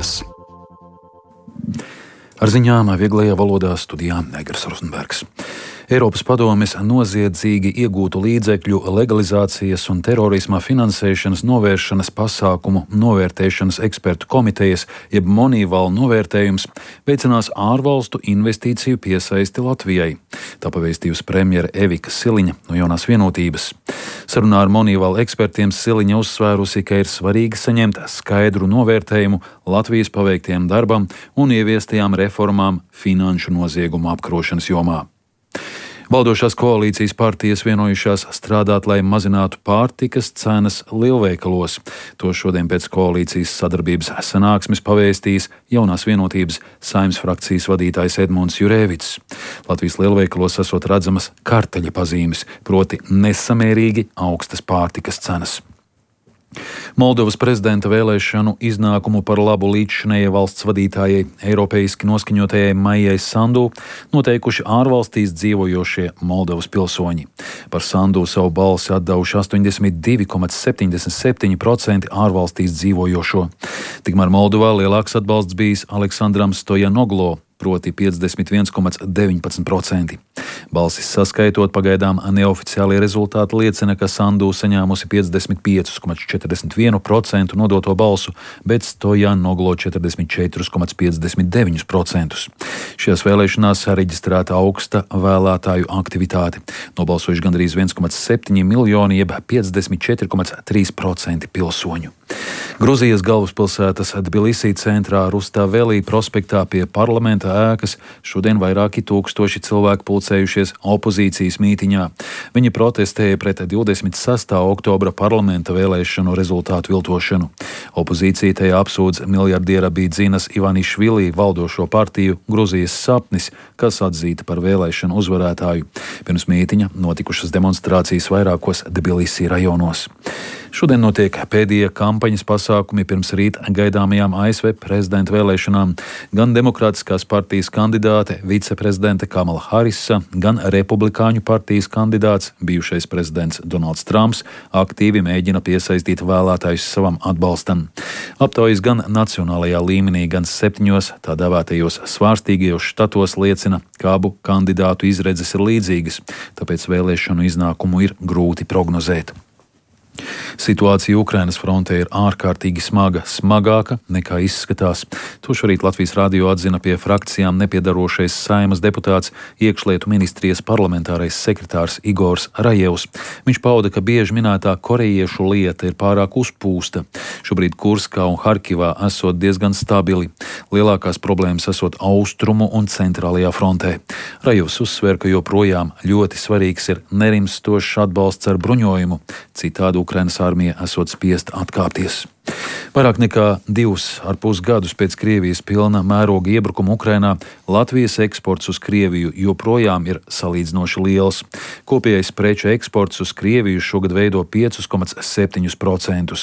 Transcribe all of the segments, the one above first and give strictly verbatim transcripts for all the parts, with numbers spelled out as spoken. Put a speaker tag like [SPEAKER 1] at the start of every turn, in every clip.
[SPEAKER 1] dienas.
[SPEAKER 2] Ar ziņām vieglajā valodā studijā Negras Rozenbergs. Eiropas padomes noziedzīgi iegūtu līdzekļu legalizācijas un terorisma finansēšanas novēršanas pasākumu novērtēšanas ekspertu komitejas, jeb Moneyval novērtējums, veicinās ārvalstu investīciju piesaisti Latvijai. Tā pavēstījusi premjere Evika Siliņa no Jaunās vienotības. Sarunā ar Moneyval ekspertiem Siliņa uzsvērusi, ka ir svarīgi saņemt skaidru novērtējumu Latvijas paveiktiem darbam un ieviestajām reformām finanšu noziegumu apkarošanas jomā. Valdošās koalīcijas partijas vienojušās strādāt, lai mazinātu pārtikas cenas lielveikalos. To šodien pēc koalīcijas sadarbības sanāksmes pavēstījis Jaunās vienotības Saeimas frakcijas vadītājs Edmunds Jurēvics. Latvijas lielveikalos esot redzamas karteļa pazīmes, proti nesamērīgi augstas pārtikas cenas. Moldovas prezidenta vēlēšanu iznākumu par labu līdzšinējai valsts vadītājai, eiropeiski noskaņotajai Maijai Sandu noteikuši ārvalstīs dzīvojošie Moldovas pilsoņi. Par Sandu savu balsi atdevuši astoņdesmit divi komats septiņdesmit septiņi procenti ārvalstīs dzīvojošo. Tikmēr Moldovā lielāks atbalsts bijis Aleksandram Stojanoglo, proti piecdesmit viens komats deviņpadsmit procenti. Balsis saskaitot, pagaidām neoficiālie rezultāti liecina, ka Sandu saņēmusi piecdesmit pieci komats četrdesmit viens procenti nodoto balsu, bet Stojanoglo četrdesmit četri komats piecdesmit deviņi procenti. Šajās vēlēšanās reģistrēta augsta vēlētāju aktivitāte. Nobalsojuši gandrīz viens komats septiņi miljoni, jeb piecdesmit četri komats trīs procenti pilsoņu. Gruzijas galvaspilsētas Tbilisī centrā Rustavelī prospektā pie parlamenta ēkas šodien vairāki tūkstoši cilvēku pulcējušies opozīcijas mītiņā. Viņi protestēja pret divdesmit sestā oktobra parlamenta vēlēšanu rezultātu viltošanu. Opozīcija tajā apsūdz miljardiera Bīdzinas Ivanišvili valdošo partiju Gruzijas sapnis, kas atzīta par vēlēšanu uzvarētāju. Pirms mītiņa notikušas demonstrācijas vairākos Tbilisī rajonos. Šodien notiek pēdējie kampaņas pasākumi pirms rīt gaidāmajām A S V prezidenta vēlēšanām. Gan Demokrātiskās partijas kandidāte, viceprezidente Kamala Harisa, gan Republikāņu partijas kandidāts, bijušais prezidents Donalds Trumps, aktīvi mēģina piesaistīt vēlētājus savam atbalstam. Aptaujas gan nacionālajā līmenī, gan septiņos tā dēvētajos svārstīgajos štatos liecina, ka abu kandidātu izredzes ir līdzīgas, tāpēc vēlēšanu iznākumu ir grūti prognozēt. Situācija Ukrainas frontē ir ārkārtīgi smaga, smagāka nekā izskatās. To šorīt Latvijas radio atzina pie frakcijām nepiedarošais Saeimas deputāts, iekšlietu ministrijas parlamentārais sekretārs Igors Rajevs. Viņš pauda, ka bieži minētā korejiešu lieta ir pārāk uzpūsta. Šobrīd Kurskā un Harkivā esot diezgan stabili. Lielākās problēmas esot austrumu un centrālajā frontē. Rajevs uzsver, ka joprojām ļoti svarīgs ir nerimstošs atbalsts ar bruņojumu. Citādi Ukrainas armija esot spiest atkāpties. Vairāk nekā divus ar pus gadus pēc Krievijas pilna mēroga iebrukuma Ukrainā Latvijas eksports uz Krieviju joprojām ir salīdzinoši liels. Kopējais preču eksports uz Krieviju šogad veido pieci komats septiņi procenti.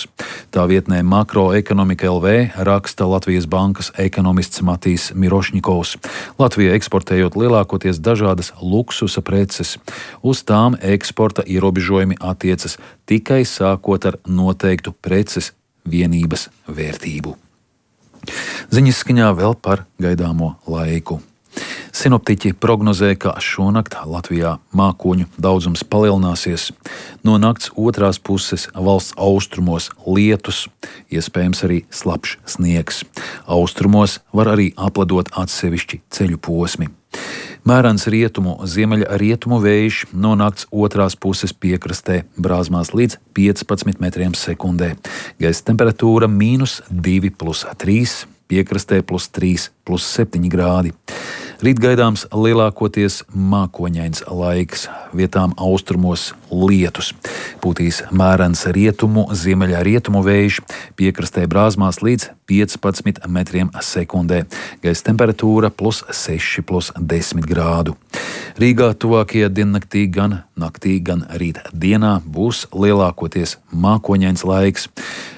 [SPEAKER 2] Tā vietnē Makroekonomika L V raksta Latvijas bankas ekonomists Matīs Mirošņikovs. Latvija eksportējot lielākoties dažādas luksusa preces. Uz tām eksporta ierobežojumi attiecas tikai sākot ar noteiktu preces vienības vērtību. Ziņas skaņā vēl par gaidāmo laiku. Sinoptiķi prognozē, ka šonakt Latvijā mākoņu daudzums palielināsies. No nakts otrās puses valsts austrumos lietus, iespējams arī slapjš sniegs. Austrumos var arī apledot atsevišķi ceļu posmi. Mērens rietumu, ziemeļa rietumu vējš no nakts otrās puses piekrastē brāzmās līdz piecpadsmit metriem sekundē. Gaisa temperatūra mīnus divi plus trīs, piekrastē plus trīs plus septiņi grādi. Rīt gaidāms lielākoties mākoņains laiks, vietām austrumos lietus. Pūtīs mērens rietumu, ziemeļa rietumu vējš, piekrastē brāzmās līdz piecpadsmit metriem sekundē. Gaisa temperatūra plus seši plus desmit grādu. Rīgā tuvākajā diennaktī gan naktī, gan rīt dienā būs lielākoties mākoņains laiks.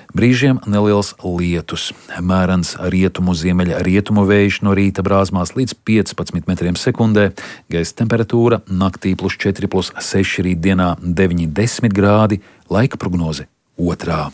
[SPEAKER 2] Brīžiem neliels lietus, mērens rietumu, ziemeļa rietumu vējš no rīta brāzmās līdz piecpadsmit metriem sekundē, gaisa temperatūra naktī plus četri plus seši, rītdienā deviņi desmit grādi, laika prognoze otrā.